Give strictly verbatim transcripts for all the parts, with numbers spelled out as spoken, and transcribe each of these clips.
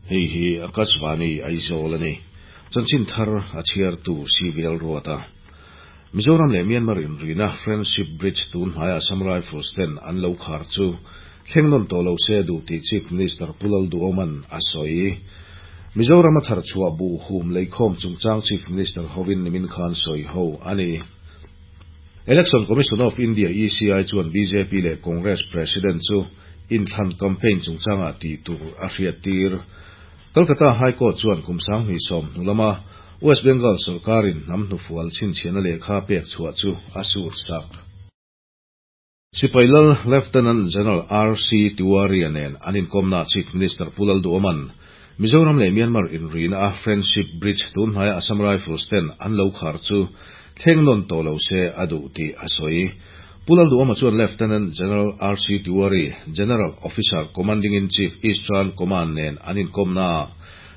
Hei hi Akashvani Aizawl a ni. Chanchin thar a chhiartu C V Lalruata. Mizoram leh Myanmar inrina Friendship Bridge tun hnaia Assam Rifles ten an lo khar chu thleng nawn tawh lo se duh tih Chief Minister Pu Lalduhoman a sawi. Mizoram a thar chhuah buh hum leikhawm chungchang Chief Minister hovin nimin khan sawi ho a ni. Election Commission of India E C I chuan B J P leh Congress President chu inthlan campaign chungchanga tih tur a hriat tir. Kolkata High Court chuan kumsang hnih sawm hnulama West Bengal sarkarin hnam hnufual chhinchhiahna lehkha pek chhuah chu a sur sak. Sipailal Lieutenant General R C Tiwari nen an inkawmna Chief Minister Pu Lalduhoman Mizoram leh Myanmar inrina a Friendship Bridge tun hnaia Assam Rifles ten an lo khar chu thleng nawn tawh lo se a duh tih a sawi. Pu Lalduhoma chuan Lieutenant General R C Tiwari, General Officer Commanding-in-Chief Eastern Command nen an inkawmna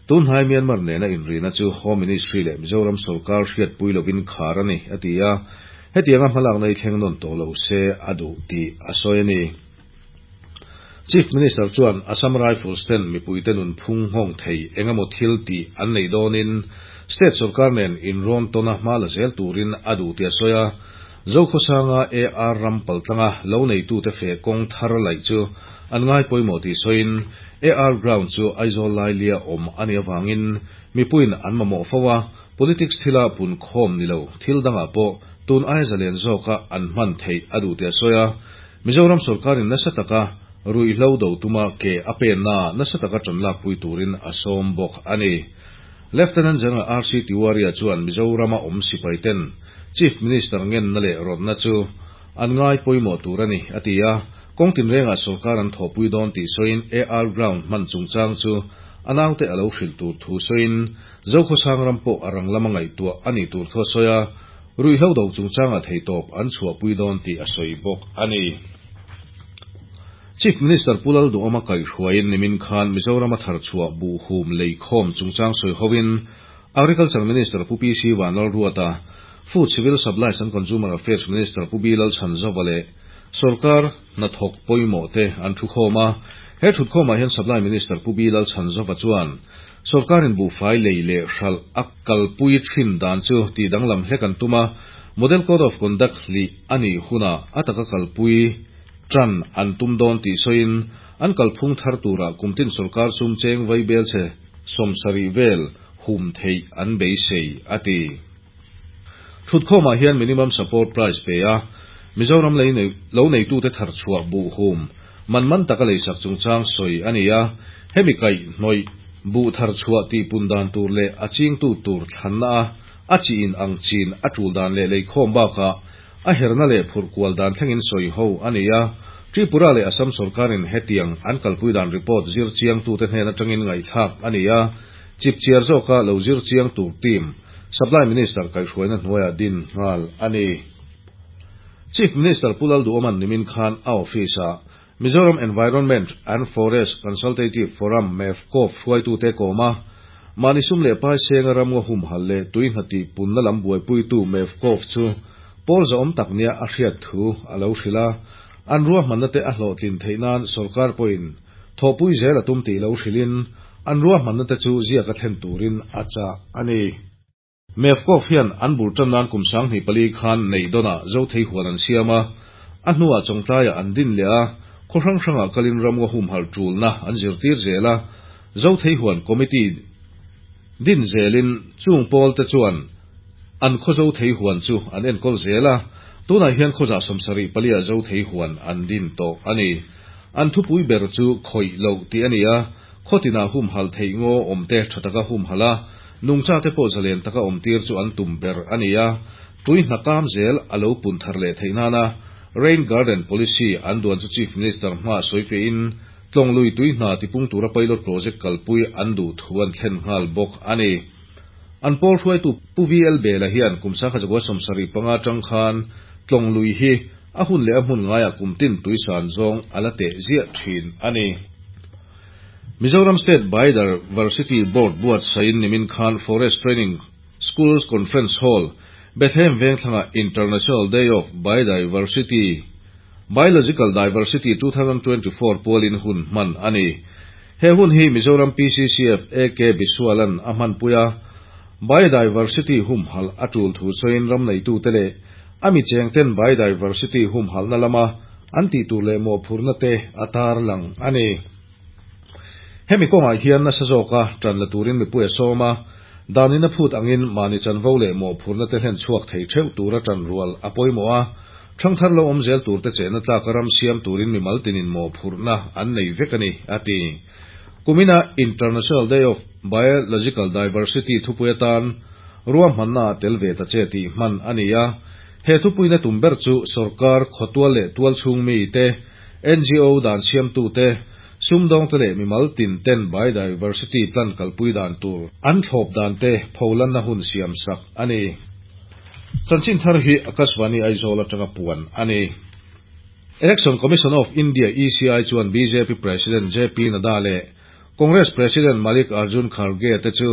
tun hnai Myanmar nena inrina chu Home Ministry leh Mizoram sarkar hriatpui lovin khar a ni a ti a, hetianga hmalak nei thleng nawn tawh lo se a duh tih a sawi a ni. Chief Minister chuan Assam Rifles ten mipui te nun phung nghawng thei engemaw thil tih an nei dawnin state sarkar nen inrawn tawna hma la zel turin a duh tih a sawi a. Zokhawsanga A R ram paltlanga lo neitu te fe kawng thar laih chu an ngai pawimawh tih sawiin A R ground chu Aizawl lailia awm a ni awangin mipuiin an mamawh fo a, politics thila pun khawm ni lo thil dangah pawh tun ai zalen zawka an hman theih a duh tih a sawi a. Mizoram sarkarin nasa taka ruihhlo do tuma ke a penna nasa taka tan lak pui turin a sawm bawk a ni. Lieutenant General R C Tiwari chuan Mizorama awm sipai ten Chief Minister ngen na leh rawtna chu an ngai pawimawh tur a ni a ti a, kawng tin renga sarkar an thawhpui dawn tih sawiin A R ground hman chungchang chu a naute a lo hrilh tur thu sawiin Zokhawsang ram pawh a rang lama ngaihtuah a ni tur thu a sawi a, ruihhlo do chungchanga theitawp an chhuahpui dawn tih a sawi bawk a ni. Chief Minister Pu Lalduhoma kaihhruaiin nimin khan Mizoram a thar chhuah buh hum leikhawm chungchang sawi hovin Agriculture Minister Pu P C Vanlalruata, Food Civil Supplies and Consumer Affairs Minister Pu B Lalchhanzova leh sarkar hnathawk pawimawh te an thu khawm a. He thut khawmah hian Supply Minister Pu B Lalchhanzova chuan sarkarin buhfai lei leh hralh a kalpui thin dan chu tih danglam hlek an tum a, Model Code of Conduct hli a nih huna a taka kalpui tran an tum dawn tih sawiin an kalphung thar turah kumtin sarkar sum cheng vai bel che sawmsarih vel hum theih an beisei a ti. Thut khawmah hian minimum support price pe a, Mizoram lei lo neitu te thar chhuah buh hum man man taka leisak chungchang sawi a ni a, hemi kaih hnawih buh thar chhuah tih pun dan tur leh a chingtu tur thlanna a, a chi in ang chin a tul dan leh leikhawm bakah a herna leh phurh kual dan thlengin sawi ho a ni a. Tripura leh Assam sarkarin hetiang an kalpui dan report zir chiang tu te hnen atangin ngaihthlak a ni a, chip chiar zawka lo zir chiang tur team Supply Minister kaihhruaina hnuaiah din nghal a ni. Chief Minister Pu Lalduhoman nimin khan a office-ah Mizoram Environment and Forest Consultative Forum MEFCOF hruaitu te kawma mahni sum leh pai senga ramngaw hum hal leh tui hnatih punna lam buaipuitu MEFCOF chu pawl zawm tak nia a hriat thu a lo hrilh a, an ruahmanna te a hlawhtlin theih nan sarkar pawhin thawhpui zel a tum tih lo hrilhin an ruahmanna te chu ziak a thlen turin a chah a ni. MEFCOF hian an bul tan nan kum sang hnih pali khan nei dawna zo thei huan an siam a, a hnuah chawngtlaiah an din leh a, khaw hrang hrangah kalin ramngaw hum hal tulna an zirtir zel a, zo thei huan committee din zelin chung pawl te chuan an khaw zo thei huan chu an enkawl zel a, tunah hian khawzah sawmsarih palia zo thei huan an din tawh a ni. An thupui ber chu khawih loh tih a ni a, khawtinah hum hal theih ngaw awm te tha taka hum hal a, nungcha te pawh zalen taka awm tir chu an tum ber a ni a, tui hnakam zel a lo pun thar leh theih nana Rain Garden Policy an duan chu Chief Minister hma sawi fein tlawng lui tui hna tipung tura pilot project kalpui an duh thu an thlen nghal bawk a ni. An pawl hruaitu Pu V L Bela hian kumsa kha zakua sawmsarih panga tang khan tlawng lui hi a hun leh a hmun ngaiah kumtin tui san zawng a la teh ziah thin a ni. Mizoram State Biodiversity Board buat sain nimin khan Forest Training Schools Conference Hall Bethlehem Vengthlanga International Day of Biodiversity Biological Diversity twenty twenty-four pualin hun hman a ni. He hun hi Mizoram P C C F A K Biswalan a hmanpui a, biodiversity humhalh a tul thu sawiin ram neitute leh a mi chengten biodiversity humhalhna lama an tih tur leh mawhphurhna te a tarlang a ni. Hemi kawngah hian nasa zawka tan la turin mipui a sawm a, danin a phut angin mahni chanvo leh mawhphurhna te hlen chhuak thei theuh tura tan rual a pawimawh a, thangthar lo awm zel tur te chehna tlaka ram siam turin mimal tinin mawhphurhna an nei vek a ni, a ti. Kumina International Day of Biological Diversity thupui atan ruahmanna tel ve ta che tih hman a ni a, he thupuina tum ber chu sarkar khawtual leh tual chhung mi te, N G O dan siamtu te, sumdawng te leh mimal tin ten biodiversity plan kalpui dan tur an thlawp dan te pholanna hun siam sak a ni. Chanchin thar hi Akashvani Aizawl atanga puan a ni. Election Commission of India E C I chuan B J P President J P Nadda leh Congress President Malik Arjun Kharge te chu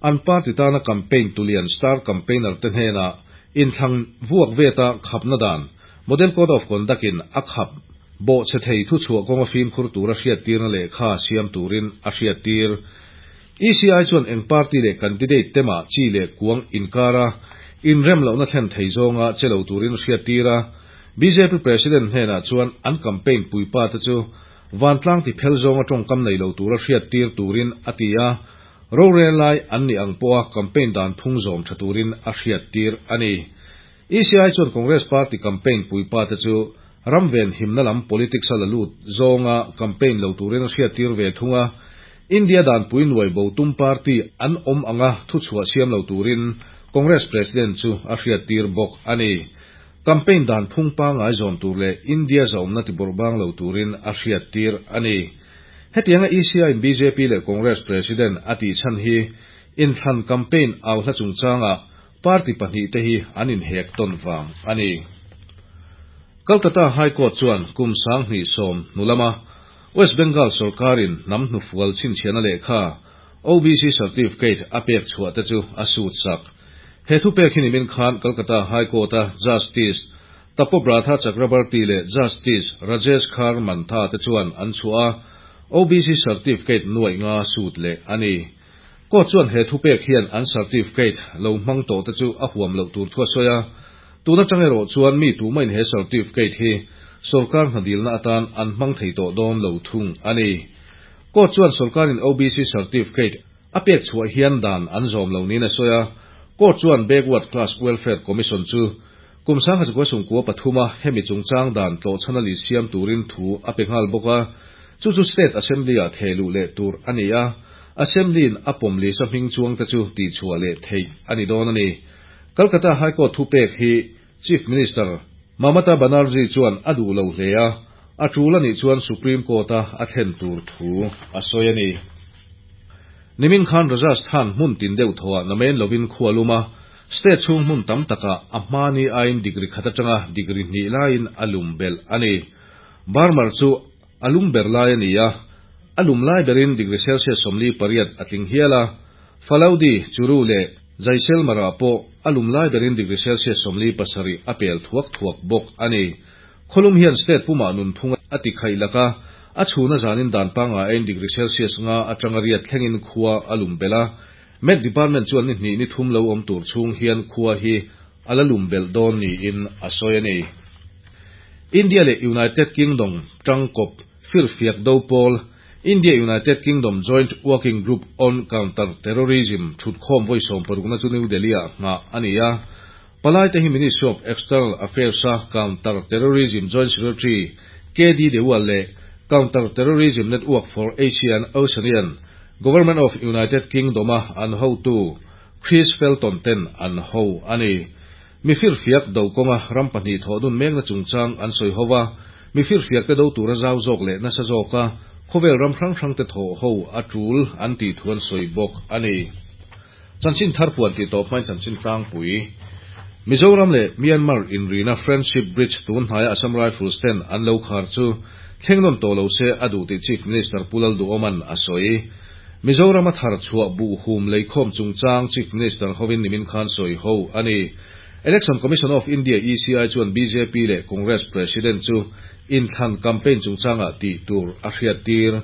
an party tana campaign tulian star campaigner te hnena inthlang vuak veta khapna dan Model Code of Conduct in a khap bo che thei thu chhuah kawnga fimkhur tura hriat tirna leh kha siam turin a hriat tir. E C I chuan eng party leh candidate tema chi leh kuang inkara inrem lohna thlen thei zawnga chelo turin hriat tira. B J P President hnena chuan an campaign puipa te chu vantlang ti phel zawnga tawngkam nei lo tura hriat tir turin a ti a, rorel lai an ni ang pawha campaign dan phung zawm tha turin a hriat tir a ni. E C I chuan Congress Party campaign puipa te chu ramven himna lam politics a la lut zawnga campaign lo turin a hriat tir ve thunga, India dan pui nuai bo tum party an awm anga thu chhuah siam lo turin Congress President chu a hriat tir bawk a ni. Campaign dan phung pangai zawm tur leh India zawmna ti bawrhbang lo turin a hriat tir a ni. Hetianga E C I in B J P leh Congress President a tih chhan hi inthlan campaign au hla chungchanga party pahnih te hi an inhek tawn vang a ni. Kolkata High Court chuan kum sang hnih sawm hnulama West Bengal sarkarin hnam hnufual chhinchhiahna lehkha O B C certificate a pek chhuah te chu a sut sak. He thu pek hi nimin khan Kolkata High Court a Justice Tapobratha Chakrabarti leh Justice Rajesh Khar Mantha te chuan an chhuah a, O B C certificate nuai nga sut leh a ni. Court chuan he thu pek hian an certificate lo hmang tawh te chu a huam loh tur thu a sawi a, tuna tang erawh chuan mi tumahin he certificate hi sarkar hnadilna atan an hmang thei tawh dawn lo thung a ni. Court chuan sarkarin O B C certificate a pek chhuah hian dan an zawm lo niin a sawi a, Court chuan Backward Class Welfare Commission chu kum sangha chukua sungkua pathuma hemi chungchang dan tlawhchhana li siam turin thu a pe nghal bawk a, chu chu State Assembly ah thehluh leh tur a ni a, Assembly in a pawm li sa hming chuang te chu tih chhuah leh theih a ni dawn a ni. Kolkata High Court thu pek hi Chief Minister Mamata Banerjee chuan a duh lo hle a, a tul ani chuan Supreme Court a a thlen tur thu a sawi a ni. Nimin khan Rajasthan hmun tin deuh thawa namen lovin khualuma state chhung hmun tam taka a hmani ain degree khat atanga degree hnih laiin a lum bel a ni. Barmar chu a lum ber lai a ni a, a lum lai berin degree Celsius sawmli pariat a tling hial a, Falaudi Churu leh Jaisalmer pawh a lum lai berin degree Celsius sawmli pasarih a pel thuak thuak bawk a ni. Kholum hian state puma nun phung a ti khaih laka a chhuna zanin dan panga ain degree Celsius nga atanga riat thlengin khua a lum bela, Met Department chuan ni hnih ni thum lo awm tur chhung hian khua hi a la lum bel dawn niin a sawi a ni. India leh United Kingdom tangkawp firfiak do pawl India United Kingdom Joint Working Group on Counter Terrorism thutkhawm vawi sawm parukna chu New Delhi ah nghah a ni a. Palai te hi Ministry of External Affairs a Counter Terrorism Joint Secretary K D Dewal leh Counter Terrorism Network for Asia and Oceanian Government of United Kingdom a an hotu Chris Felton ten an ho a ni. Mi firfiak do kawnga ram pahnih thawh dun mekna chungchang an sawi hova, mi firfiak te do tura zau zawk leh nasa zawka khawvel ram hrang hrang te thawh ho a tul an tih thu an sawi bawk a ni. Chanchin thar puan tih tawp hmain chanchin tlangpui. Mizoram leh Myanmar inrina Friendship Bridge tun hnaia Assam Rifles ten an lo khar chu thlengnawn tawh lo se a duh tih Chief Minister Pu Lalduhoman a sawi. Mizoram a thar chhuah buh hum leikhawm chungchang Chief Minister hovin nimin khan sawi ho a ni. Election Commission of India E C I chuan B J P leh Congress President chu inthlan campaign chungchanga tih tur a hriat tir.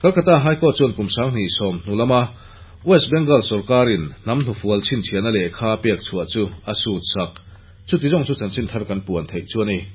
Calcutta High Court chuan kum sanghnih sawm hnu lama West Bengal sorkarin hnam hnufual chhinchhiahna lehkha a pek chhuah chu a sut sak. Chuti zawng chu chanchin thar kan puan theih chu a ni.